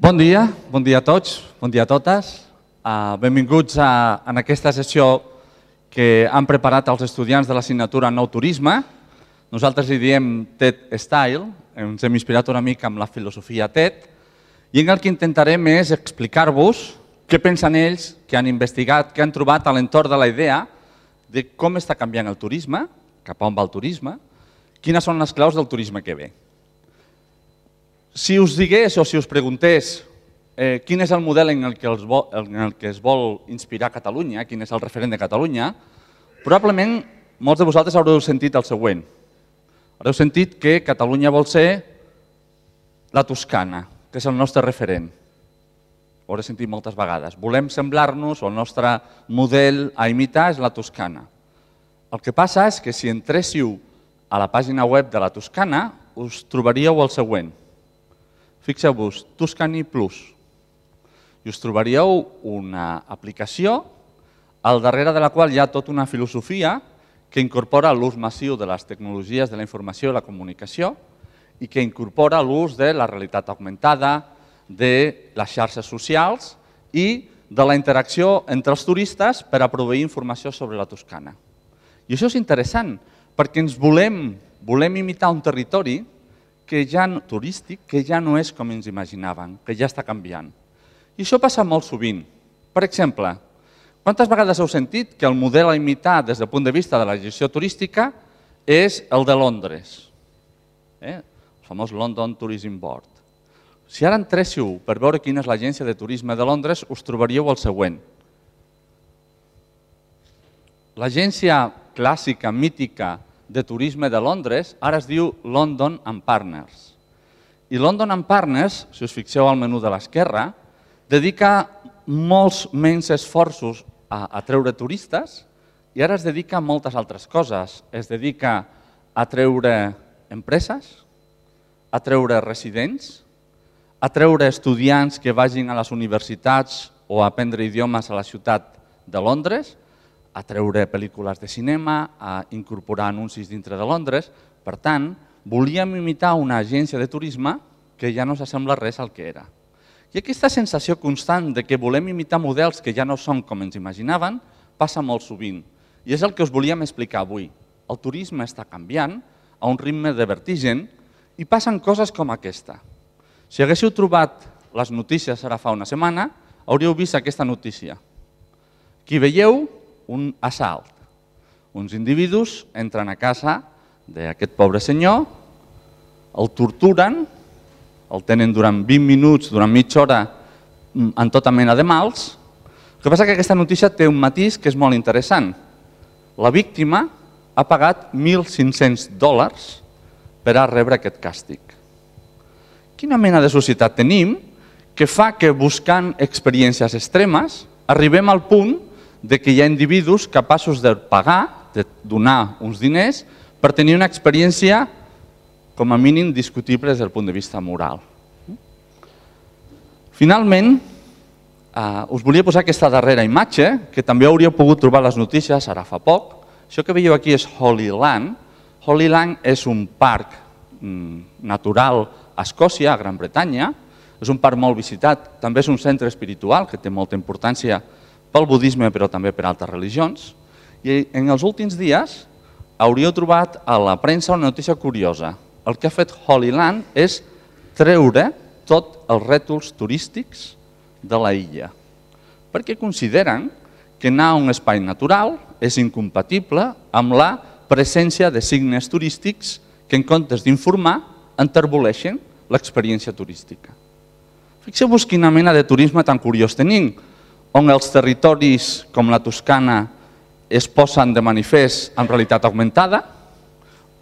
Bon dia a tots, bon dia a totes. Benvinguts en aquesta sessió que han preparat els estudiants de l'assignatura Nou Turisme. Nosaltres li diem TED Style, ens hem inspirat una mica amb la filosofia TED, i en el que intentarem és explicar-vos què pensen ells, que han investigat, que han trobat a l'entorn de la idea de com està canviant el turisme, cap a on va el turisme, quines són les claus del turisme que ve. Si us digués o si us preguntés quin és el model en el que es vol inspirar Catalunya, quin és el referent de Catalunya, probablement molts de vosaltres haureu sentit el següent. Haureu sentit que Catalunya vol ser la Toscana, que és el nostre referent. Ho haureu sentit moltes vegades. Volem semblar-nos, o el nostre model a imitar és la Toscana. El que passa és que si entréssiu a la pàgina web de la Toscana, us trobaríeu el següent. Fixeu-vos, Tuscany Plus, i us trobaríeu una aplicació al darrere de la qual hi ha tota una filosofia que incorpora l'ús massiu de les tecnologies de la informació i la comunicació i que incorpora l'ús de la realitat augmentada, de les xarxes socials i de la interacció entre els turistes per a proveir informació sobre la Toscana. I això és interessant perquè ens volem imitar un territori turístic que ja no és com ens imaginaven, que ja està canviant. I això passa molt sovint. Per exemple, quantes vegades heu sentit que el model a imitar des del punt de vista de la gestió turística és el de Londres? El famós London Tourism Board. Si ara entréssiu per veure quina és l'agència de turisme de Londres, us trobaríeu el següent. L'agència clàssica, mítica, de turisme de Londres, ara es diu London and Partners. I London and Partners, si us fixeu al menú de l'esquerra, dedica molts menys esforços a treure turistes i ara es dedica a moltes altres coses. Es dedica a treure empreses, a treure residents, a treure estudiants que vagin a les universitats o a aprendre idiomes a la ciutat de Londres, a treure pel·lícules de cinema, a incorporar anuncis dintre de Londres. Per tant, volíem imitar una agència de turisme que ja no s'assembla res al que era. I aquesta sensació constant de que volem imitar models que ja no són com ens imaginaven passa molt sovint. I és el que us volíem explicar avui. El turisme està canviant a un ritme de vertigen i passen coses com aquesta. Si haguéssiu trobat les notícies ara fa una setmana, hauríeu vist aquesta notícia. Aquí veieu un assalt. Uns individus entren a casa d'aquest pobre senyor, el torturen, el tenen durant 20 minuts, durant mitja hora, en tota mena de mals. El que passa és que aquesta notícia té un matís que és molt interessant. La víctima ha pagat $1.500 per a rebre aquest càstig. Quina mena de societat tenim que fa que buscant experiències extremes arribem al punt de que hi ha individus capaços de pagar, de donar uns diners, per tenir una experiència com a mínim discutible des del punt de vista moral. Finalment, us volia posar aquesta darrera imatge, que també hauríeu pogut trobar a les notícies ara fa poc. Això que veieu aquí és Holyland. Holyland és un parc natural a Escòcia, a Gran Bretanya. És un parc molt visitat, també és un centre espiritual que té molta importància pel budisme, però també per altres religions. I en els últims dies hauríeu trobat a la premsa una notícia curiosa. El que ha fet Holyland és treure tots els rètols turístics de la illa, perquè consideren que anar a un espai natural és incompatible amb la presència de signes turístics que en comptes d'informar enterboleixen l'experiència turística. Fixeu-vos quina mena de turisme tan curiós tenim, on els territoris com la Toscana es posen de manifest en realitat augmentada,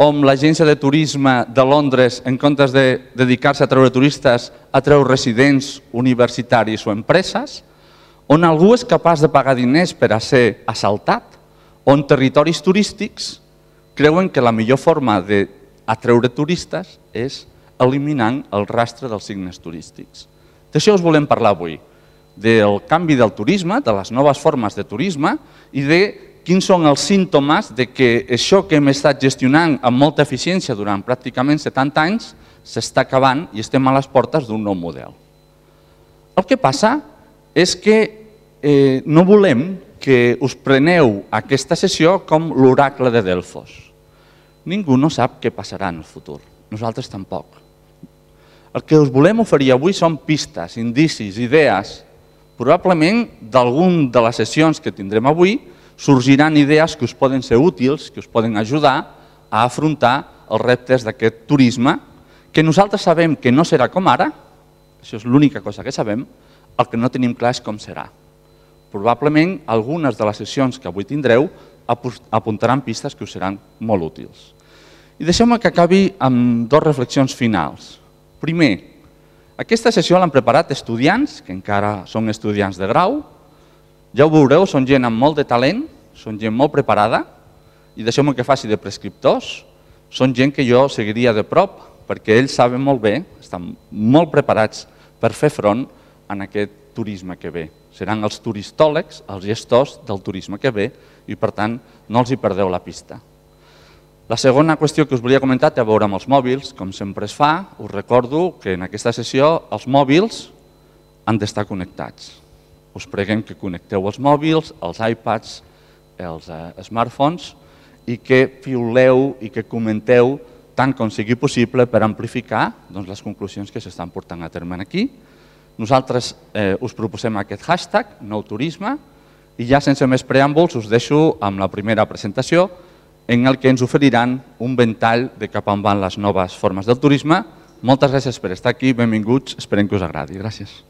on l'agència de turisme de Londres, en comptes de dedicar-se a treure turistes, atreu residents, universitaris o empreses, on algú és capaç de pagar diners per a ser assaltat, on territoris turístics creuen que la millor forma d'atreure turistes és eliminant el rastre dels signes turístics. D'això us volem parlar avui, del canvi del turisme, de les noves formes de turisme i de quins són els símptomes de que això que hem estat gestionant amb molta eficiència durant pràcticament 70 anys s'està acabant i estem a les portes d'un nou model. El que passa és que no volem que us preneu aquesta sessió com l'oracle de Delfos. Ningú no sap què passarà en el futur, nosaltres tampoc. El que us volem oferir avui són pistes, indicis, idees. Probablement d'algun de les sessions que tindrem avui sorgiran idees que us poden ser útils, que us poden ajudar a afrontar els reptes d'aquest turisme, que nosaltres sabem que no serà com ara, això és l'única cosa que sabem, el que no tenim clar és com serà. Probablement algunes de les sessions que avui tindreu apuntaran pistes que us seran molt útils. I deixeu-me que acabi amb dues reflexions finals. Primer, aquesta sessió l'han preparat estudiants, que encara són estudiants de grau. Ja ho veureu, són gent amb molt de talent, són gent molt preparada, i deixeu-me que faci de prescriptors. Són gent que jo seguiria de prop, perquè ells saben molt bé, estan molt preparats per fer front a aquest turisme que ve. Seran els turistòlegs, els gestors del turisme que ve, i per tant no els hi perdeu la pista. La segona qüestió que us volia comentar té a veure amb els mòbils. Com sempre es fa, us recordo que en aquesta sessió els mòbils han d'estar connectats. Us preguem que connecteu els mòbils, els iPads, els smartphones i que piuleu i que comenteu tant com sigui possible per amplificar les conclusions que s'estan portant a terme aquí. Nosaltres us proposem aquest hashtag, nouturisme, i ja sense més preàmbuls us deixo amb la primera presentació en el que ens oferiran un ventall de cap on van les noves formes del turisme. Moltes gràcies per estar aquí, benvinguts, esperem que us agradi. Gràcies.